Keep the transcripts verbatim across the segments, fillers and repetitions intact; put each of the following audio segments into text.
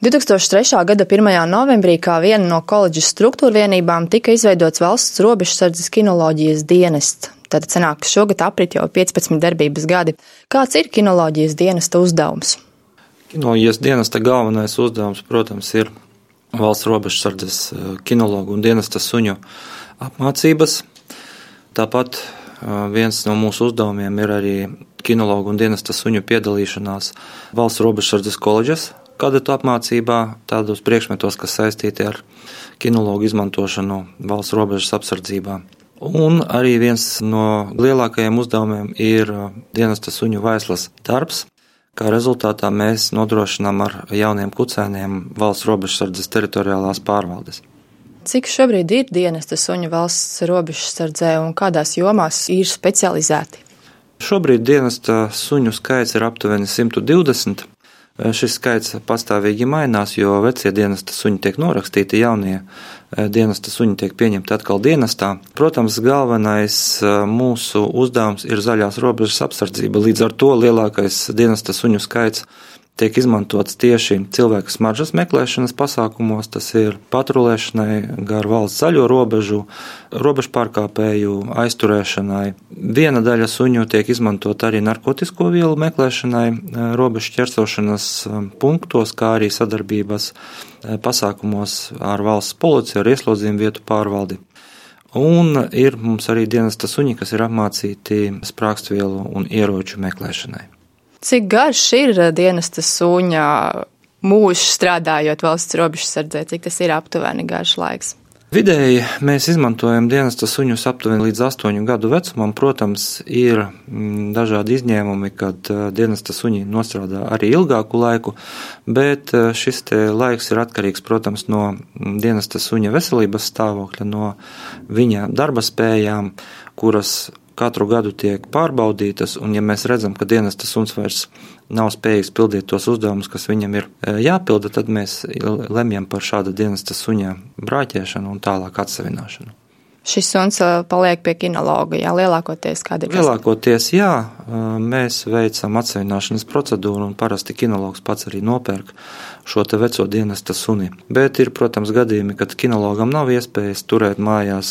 divtūkstoš trešā gada pirmajā novembrī kā viena no koledžas struktūrvienībām tika izveidots Valsts robežsardzes kinoloģijas dienests. Tad sanāk, ka šogad aprit jau piecpadsmit darbības gadi. Kāds ir kinoloģijas dienesta uzdevums? Kinoloģijas dienesta galvenais uzdevums, protams, ir Valsts robežsardzes kinologu un dienesta suņu apmācības. Tāpat viens no mūsu uzdevumiem ir arī kinologu un dienesta suņu piedalīšanās Valsts robežsardzes koledžas kadatu apmācībā, tādos priekšmetos, kas saistīti ar kinologu izmantošanu valsts robežas apsardzībā. Un arī viens no lielākajiem uzdevumiem ir dienesta suņu vaislas darbs, kā rezultātā mēs nodrošinām ar jauniem kucēniem valsts robežsardzes teritoriālās pārvaldes. Cik šobrīd ir dienesta suņu valsts robežsardzē un kādās jomās ir specializēti? Šobrīd dienesta suņu skaits ir aptuveni simt divdesmit. Šis skaits pastāvīgi mainās, jo vecie dienesta suņi tiek norakstīti, jaunie dienesta suņi tiek pieņemti atkal dienestā. Protams, galvenais mūsu uzdevums ir zaļās robežas apsardzība, līdz ar to lielākais dienesta suņu skaits tiek izmantots tieši cilvēku smaržas meklēšanas pasākumos, tas ir patrulēšanai gar valsts zaļo robežu, robežu pārkāpēju aizturēšanai. Viena daļa suņu tiek izmantot arī narkotisko vielu meklēšanai robežu ķersošanas punktos, kā arī sadarbības pasākumos ar valsts policiju, ar ieslodzījumu vietu pārvaldi. Un ir mums arī dienesta suņi, kas ir apmācīti sprākstvielu un ieroču meklēšanai. Cik garš ir dienesta suņa mūžs strādājot valsts robežsardzē, cik tas ir aptuveni garš laiks? Vidēji mēs izmantojam dienesta suņus aptuveni līdz astoņu gadu vecumam. Protams, ir dažādi izņēmumi, kad dienesta suņi nostrādā arī ilgāku laiku, bet šis te laiks ir atkarīgs, protams, no dienesta suņa veselības stāvokļa, no viņa darba spējām, kuras katru gadu tiek pārbaudītas, un ja mēs redzam, ka dienesta suns vairs nav spējīgs pildīt tos uzdevumus, kas viņam ir jāpilda, tad mēs lemjam par šāda dienesta suņa brāķēšanu un tālāk atsevināšanu. Šis suns paliek pie kinologa, jā, lielākoties kāda ir? Lielākoties, jā, mēs veicam atsevināšanas procedūru un parasti kinologs pats arī nopērk šo te veco dienesta suni. Bet ir, protams, gadījumi, kad kinologam nav iespējas turēt mājās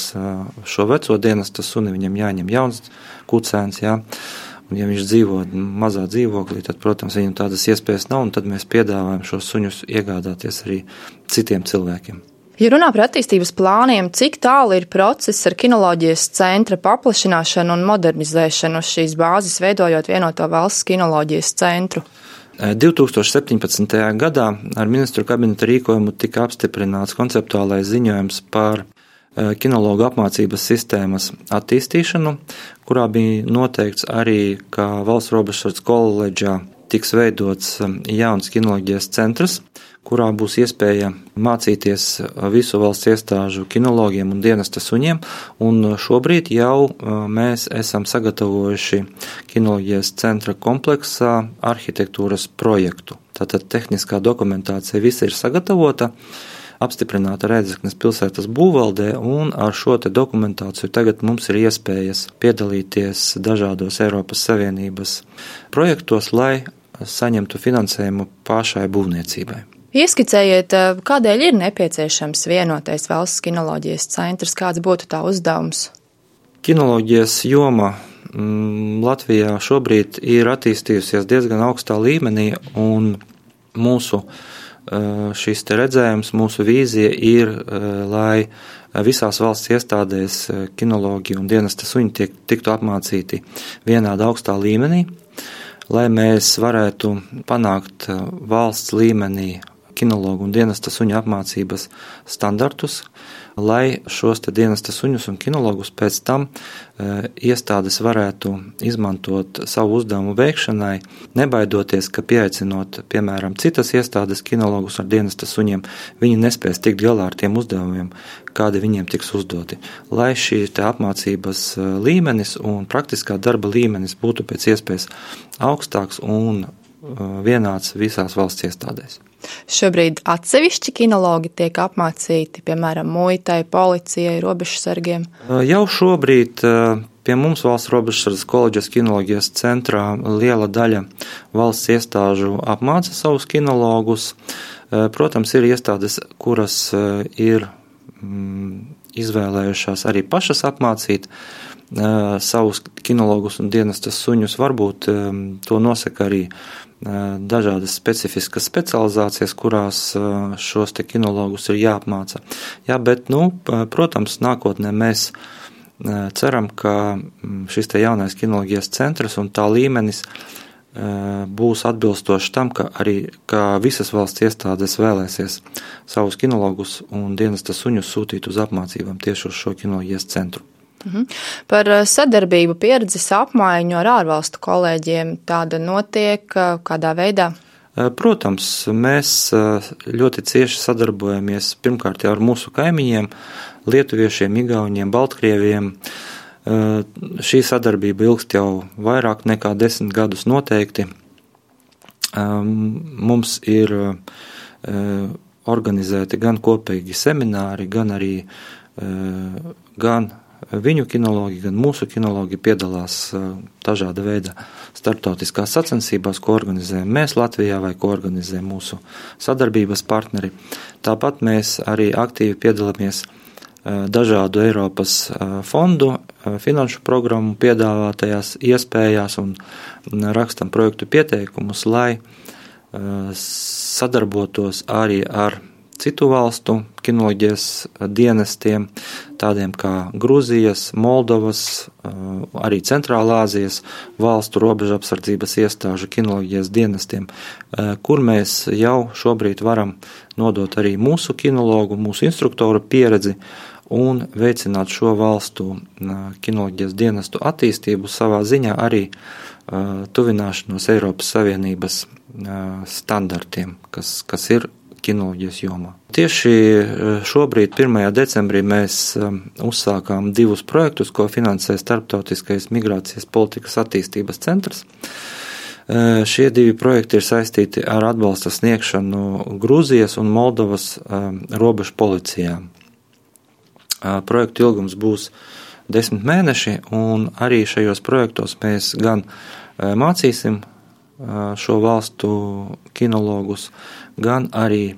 šo veco dienesta suni, viņam jāņem jauns kucēns, jā. Un ja viņš dzīvo mazā dzīvoklī, tad, protams, viņam tādas iespējas nav, un tad mēs piedāvājam šos suņus iegādāties arī citiem cilvēkiem. Ja runā par attīstības plāniem, cik tālu ir process ar kinoloģijas centra paplašināšanu un modernizēšanu uz šīs bāzes, veidojot vienoto valsts kinoloģijas centru? divtūkstoš septiņpadsmitajā gadā ar ministru kabineta rīkojumu tika apstiprināts konceptuālais ziņojums par kinologu apmācības sistēmas attīstīšanu, kurā bija noteikts arī, ka Valsts robežsardzes koledžā tiks veidots jauns kinoloģijas centrs, kurā būs iespēja mācīties visu valsts iestāžu kinologiem un dienesta suņiem, un šobrīd jau mēs esam sagatavojuši kinoloģijas centra kompleksā arhitektūras projektu. Tātad tehniskā dokumentācija visa ir sagatavota, apstiprināta Rēzeknes pilsētas būvvaldē, un ar šo te dokumentāciju tagad mums ir iespējas piedalīties dažādos Eiropas Savienības projektos, lai saņemtu finansējumu pašai būvniecībai. Ieskicējiet, kādēļ ir nepieciešams vienotais valsts kinoloģijas centrs, kāds būtu tā uzdevums? Kinoloģijas joma mm, Latvijā šobrīd ir attīstījusies diezgan augstā līmenī, un mūsu šis te redzējums, mūsu vīzija ir, lai visās valsts iestādēs kinologi un dienesta suņi tiek, tiktu apmācīti vienādā augstā līmenī, lai mēs varētu panākt valsts līmenī kinologu un dienesta suņu apmācības standartus, lai šos te dienesta suņus un kinologus pēc tam e, iestādes varētu izmantot savu uzdevumu veikšanai, nebaidoties, ka pieaicinot, piemēram, citas iestādes kinologus ar dienesta suņiem, viņi nespēs tikt galā ar tiem uzdevumiem, kādi viņiem tiks uzdoti. Lai šī te apmācības līmenis un praktiskā darba līmenis būtu pēc iespējas augstāks un vienāds visās valsts iestādēs. Šobrīd atsevišķi kinologi tiek apmācīti, piemēram, muitai, policijai, robežsargiem? Jau šobrīd pie mums Valsts robežsardzes koledžas kinoloģijas centrā liela daļa valsts iestāžu apmāca savus kinologus. Protams, ir iestādes, kuras ir izvēlējušās arī pašas apmācīt savus kinologus un dienestas suņus. Varbūt to nosaka arī dažādas specifiskas specializācijas, kurās šos te kinologus ir jāapmāca. Jā, bet, nu, protams, nākotnē mēs ceram, ka šis te jaunais kinoloģijas centrs un tā līmenis būs atbilstoši tam, ka arī ka visas valsts iestādes vēlēsies savus kinologus un dienesta suņus sūtīt uz apmācībām tieši uz šo kinoloģijas centru. Mhm. Par sadarbību, pieredzes apmaiņu ar ārvalstu kolēģiem tāda notiek kādā veidā? Protams, mēs ļoti cieši sadarbojamies pirmkārt jau ar mūsu kaimiņiem, lietuviešiem, igauņiem, baltkrieviem. Šī sadarbība ilgst jau vairāk nekā desmit gadus noteikti. Mums ir organizēti gan kopīgi semināri, gan arī gan viņu kinologi, gan mūsu kinologi piedalās dažāda veida starptautiskās sacensībās, ko organizējam mēs Latvijā vai ko organizē mūsu sadarbības partneri. Tāpat mēs arī aktīvi piedalāmies dažādu Eiropas fondu, finanšu programmu piedāvātajās iespējās un rakstam projektu pieteikumus, lai sadarbotos arī ar citu valstu kinoloģijas dienestiem, tādiem kā Grūzijas, Moldovas, arī Centrālā Āzijas valstu robežapsardzības iestāžu kinoloģijas dienestiem, kur mēs jau šobrīd varam nodot arī mūsu kinologu, mūsu instruktoru pieredzi un veicināt šo valstu kinoloģijas dienestu attīstību, savā ziņā arī tuvināšanos Eiropas Savienības standartiem, kas, kas ir kinoloģijas jomā. Tieši šobrīd, pirmajā decembrī, mēs uzsākām divus projektus, ko finansē Starptautiskais migrācijas politikas attīstības centrs. Šie divi projekti ir saistīti ar atbalsta sniegšanu Grūzijas un Moldovas robežu policijām. Projektu ilgums būs desmit mēneši, un arī šajos projektos mēs gan mācīsim šo valstu kinologus, gan arī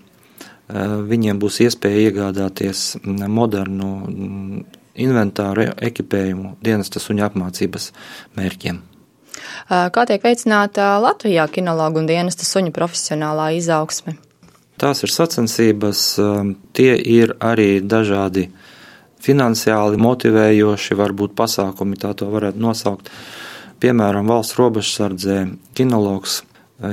viņiem būs iespēja iegādāties modernu inventāru ekipējumu dienesta suņu apmācības mērķiem. Kā tiek veicināta Latvijā kinologu un dienesta suņu profesionālā izaugsme? Tās ir sacensības, tie ir arī dažādi finansiāli motivējoši, varbūt pasākumi, tā to varētu nosaukt. Piemēram, valsts robežsardzē kinologs,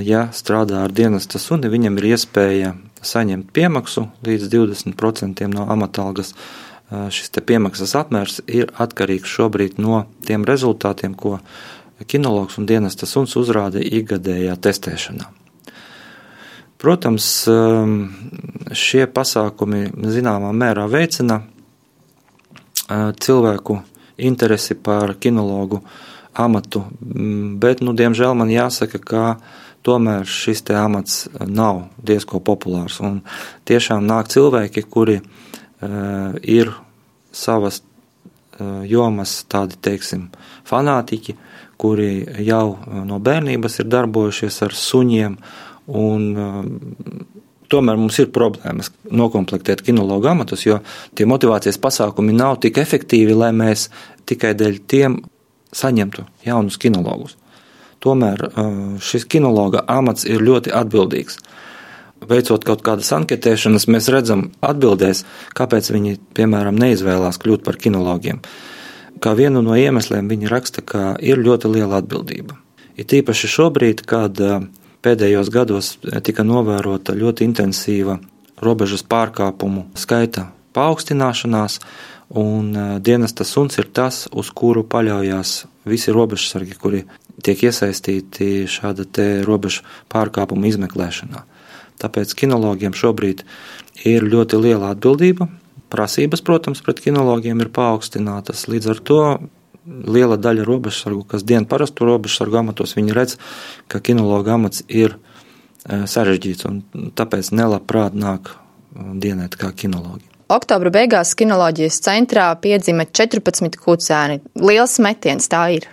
ja strādā ar dienesta suni, viņam ir iespēja saņemt piemaksu līdz divdesmit procentiem no amatalgas. Šis te piemaksas apmērs ir atkarīgs šobrīd no tiem rezultātiem, ko kinologs un dienesta suns uzrāda ikgadējā testēšanā. Protams, šie pasākumi zināmā mērā veicina cilvēku interesi par kinologu amatu, bet, nu, diemžēl man jāsaka, ka tomēr šis te amats nav diezko populārs, un tiešām nāk cilvēki, kuri uh, ir savas uh, jomas tādi, teiksim, fanātiķi, kuri jau no bērnības ir darbojušies ar suņiem, un uh, tomēr mums ir problēmas nokomplektēt kinologu amatus, jo tie motivācijas pasākumi nav tik efektīvi, lai mēs tikai dēļ tiem saņemtu jaunus kinologus. Tomēr šis kinologa amats ir ļoti atbildīgs. Veicot kaut kādas anketēšanas, mēs redzam atbildēs, kāpēc viņi, piemēram, neizvēlās kļūt par kinologiem. Kā vienu no iemesliem viņi raksta, ka ir ļoti liela atbildība. Ir tīpaši šobrīd, kad pēdējos gados tika novērota ļoti intensīva robežas pārkāpumu skaita paaugstināšanās, un dienesta suns ir tas, uz kuru paļaujās visi robežsargi, kuri tiek iesaistīti šāda te robežu pārkāpumu izmeklēšanā. Tāpēc kinologiem šobrīd ir ļoti liela atbildība. Prasības, protams, pret kinologiem ir paaugstinātas. Līdz ar to liela daļa robežsargu, kas dien parastu robežsargu amatos, viņi redz, ka kinologa amats ir sarežģīts, un tāpēc nelabprāt nāk dienēt kā kinologi. Oktobra beigās kinoloģijas centrā piedzima četrpadsmit kucēni. Liels metiens tā ir.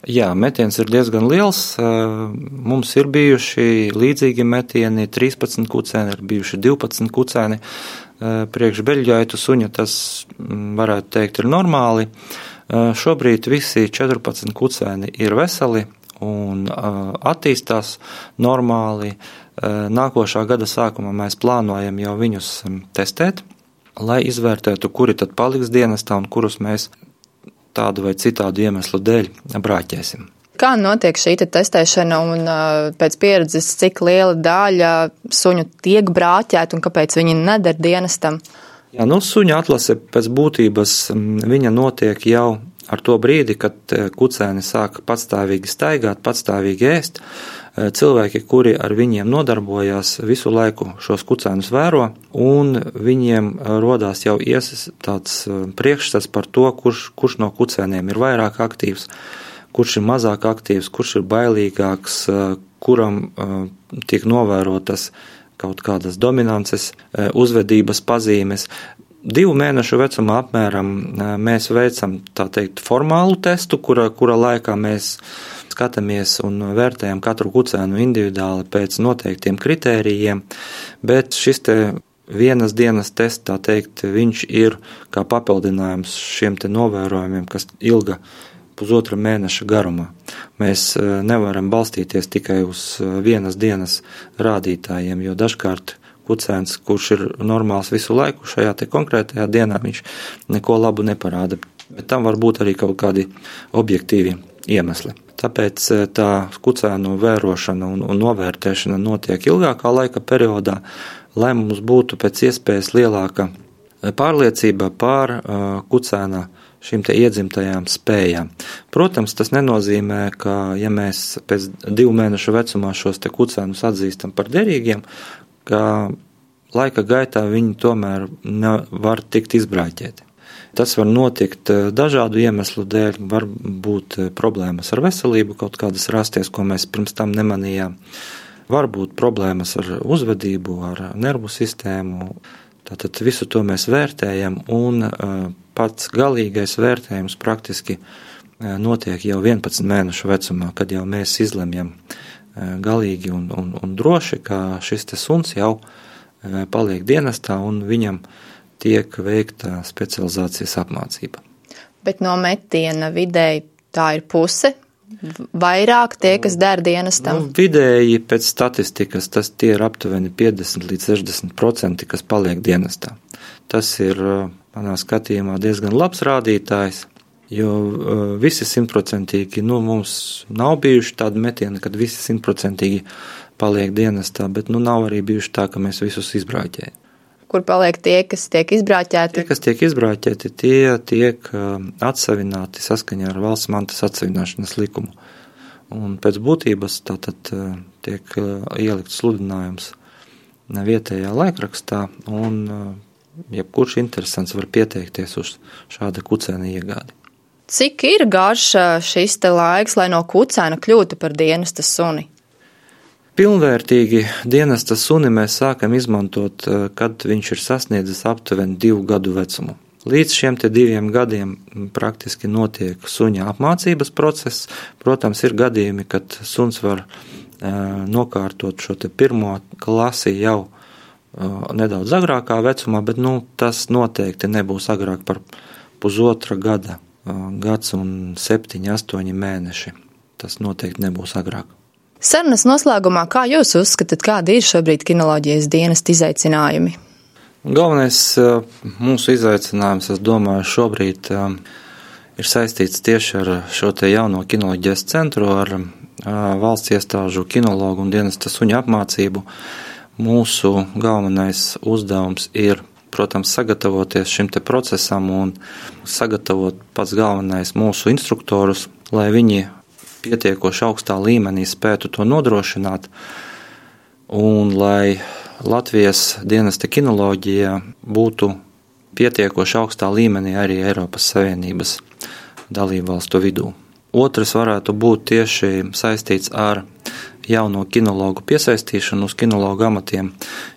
Jā, metiens ir diezgan liels. Mums ir bijuši līdzīgi metieni, trīspadsmit kucēni, ir bijuši divpadsmit kucēni. Priekš beļģaitu suņa tas, varētu teikt, ir normāli. Šobrīd visi četrpadsmit kucēni ir veseli un attīstās normāli. Nākošā gada sākumā mēs plānojam jau viņus testēt, lai izvērtētu, kuri tad paliks dienestā un kurus mēs tādu vai citādu iemeslu dēļ brāķēsim. Kā notiek šī testēšana un pēc pieredzes, cik liela daļa suņu tiek brāķēta un kāpēc viņi neder dienestam? Jā, nu, suņa atlase pēc būtības viņa notiek jau ar to brīdi, kad kucēni sāk patstāvīgi staigāt, patstāvīgi ēst. Cilvēki, kuri ar viņiem nodarbojās, visu laiku šos kucēnus vēro, un viņiem rodās jau ies tāds priekšstats par to, kurš, kurš no kucēniem ir vairāk aktīvs, kurš ir mazāk aktīvs, kurš ir bailīgāks, kuram tiek novērotas kaut kādas dominances, uzvedības pazīmes. Divu mēnešu vecumā apmēram mēs veicam, tā teikt, formālu testu, kura, kura laikā mēs skatāmies un vērtējam katru kucēnu individuāli pēc noteiktiem kritērijiem, bet šis te vienas dienas tests, tā teikt, viņš ir kā papildinājums šiem te novērojumiem, kas ilga pusotra mēneša garumā. Mēs nevaram balstīties tikai uz vienas dienas rādītājiem, jo dažkārt kucēns, kurš ir normāls visu laiku, šajā te konkrētajā dienā viņš neko labu neparāda, bet tam var būt arī kaut kādi objektīvi iemesli. Tāpēc tā kucēnu vērošana un, un novērtēšana notiek ilgākā laika periodā, lai mums būtu pēc iespējas lielāka pārliecība pār uh, kucēna šīm te iedzimtajām spējām. Protams, tas nenozīmē, ka ja mēs pēc divu mēnešu vecumā šos te kucēnus atzīstam par derīgiem, ka laika gaitā viņi tomēr var tikt izbrāķēti. Tas var notikt dažādu iemeslu dēļ, var būt problēmas ar veselību, kaut kādas rasties, ko mēs pirms tam nemanījām. Var būt problēmas ar uzvedību, ar nervu sistēmu. Tātad visu to mēs vērtējam, un pats galīgais vērtējums praktiski notiek jau vienpadsmit mēnešu vecumā, kad jau mēs izlemjam galīgi un, un, un droši, ka šis te suns jau paliek dienestā un viņam tiek veikta specializācijas apmācība. Bet no metiena vidēji tā ir puse, vairāk tie, kas der dienestam? Nu, vidēji pēc statistikas tas tie ir aptuveni piecdesmit līdz sešdesmit procenti, kas paliek dienestā. Tas ir, manā skatījumā, diezgan labs rādītājs, jo visi simtprocentīgi, nu, mums nav bijuši tādi metieni, kad visi simtprocentīgi paliek dienestā, bet, nu, nav arī bijuši tā, ka mēs visus izbrāķējam. Kur paliek tie, kas tiek izbrāķēti? Tie, kas tiek izbrāķēti, tie tiek atsavināti saskaņā ar valsts mantas atsavināšanas likumu. Un pēc būtības tātad tiek ielikt sludinājums vietējā laikrakstā, un jebkurš interesants var pieteikties uz šāda kucēna iegādi. Cik ir garš šis te laiks, lai no kucēna kļūtu par dienesta suni? Pilnvērtīgi dienesta suni mēs sākam izmantot, kad viņš ir sasniedzis aptuveni divu gadu vecumu. Līdz šiem te diviem gadiem praktiski notiek suņa apmācības process. Protams, ir gadījumi, kad suns var nokārtot šo te pirmo klasi jau nedaudz agrākā vecumā, bet nu, tas noteikti nebūs agrāk par pusotra gada, gads un septiņi, astoņi mēneši. Tas noteikti nebūs agrāk. Sarunas noslēgumā, kā jūs uzskatāt, kādi ir šobrīd kinoloģijas dienesta izaicinājumi? Galvenais mūsu izaicinājums, es domāju, šobrīd ir saistīts tieši ar šo te jauno kinoloģijas centru, ar valsts iestāžu kinologu un dienesta suņa apmācību. Mūsu galvenais uzdevums ir, protams, sagatavoties šim te procesam un sagatavot pats galvenais mūsu instruktorus, lai viņi pietiekoši augstā līmenī spētu to nodrošināt, un lai Latvijas dienesta kinoloģija būtu pietiekoši augstā līmenī arī Eiropas Savienības dalībvalstu vidū. Otrs varētu būt tieši saistīts ar jauno kinologu piesaistīšanu uz kinologu amatiem,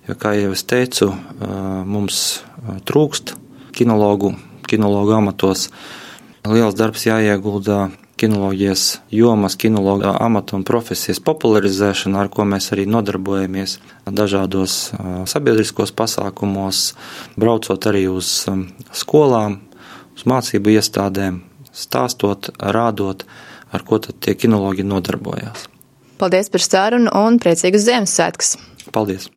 jo, kā jau es teicu, mums trūkst kinologu, kinologu amatos. Liels darbs jāieguldā kinoloģijas jomas, kinologa amata un profesijas popularizēšanu, ar ko mēs arī nodarbojamies dažādos sabiedriskos pasākumos, braucot arī uz skolām, uz mācību iestādēm, stāstot, rādot, ar ko tad tie kinologi nodarbojās. Paldies par sarunu un priecīgus Ziemassvētkus! Paldies!